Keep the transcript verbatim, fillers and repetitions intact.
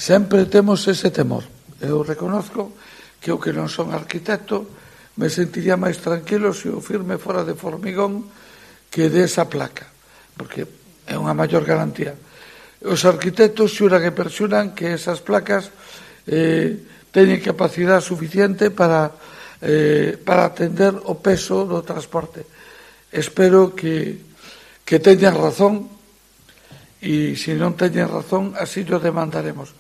sempre temos ese temor. Eu reconozco que eu que non son arquitecto me sentiría máis tranquilo se o firme fora de formigón que desa placa, porque é unha maior garantía. Os arquitectos xuran e perxuran que esas placas eh, teñen capacidade suficiente para, eh, para atender o peso do transporte. Espero que, que teñan razón, e se non teñen razón, así lo demandaremos.